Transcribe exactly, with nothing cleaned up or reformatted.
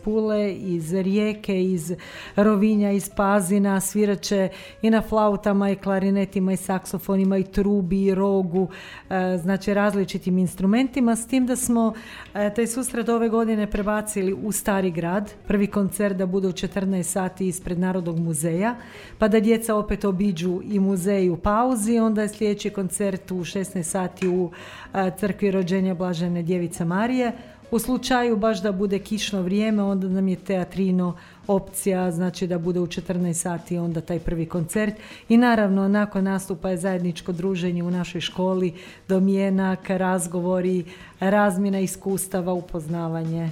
Pule, iz Rijeke, iz Rovinja, iz Pazina, svirat će i na flautama i klarinetima i saksofonima i trubi i rogu, znači različitim instrumentima, s tim da smo taj susret ove godine prebacili u Stari grad. Prvi koncert da bude u četrnaest sati ispred Narodnog muzeja, pa da djeca opet obiđu i muzej u pauzi, onda je sljedeći koncert u šesnaest sati u crkvi Rođenja Blažene Djevice Marije. U slučaju baš da bude kišno vrijeme, onda nam je teatrino opcija, znači da bude u četrnaest sati onda taj prvi koncert. I naravno, nakon nastupa je zajedničko druženje u našoj školi, domjenak, razgovori, razmjena iskustava, upoznavanje.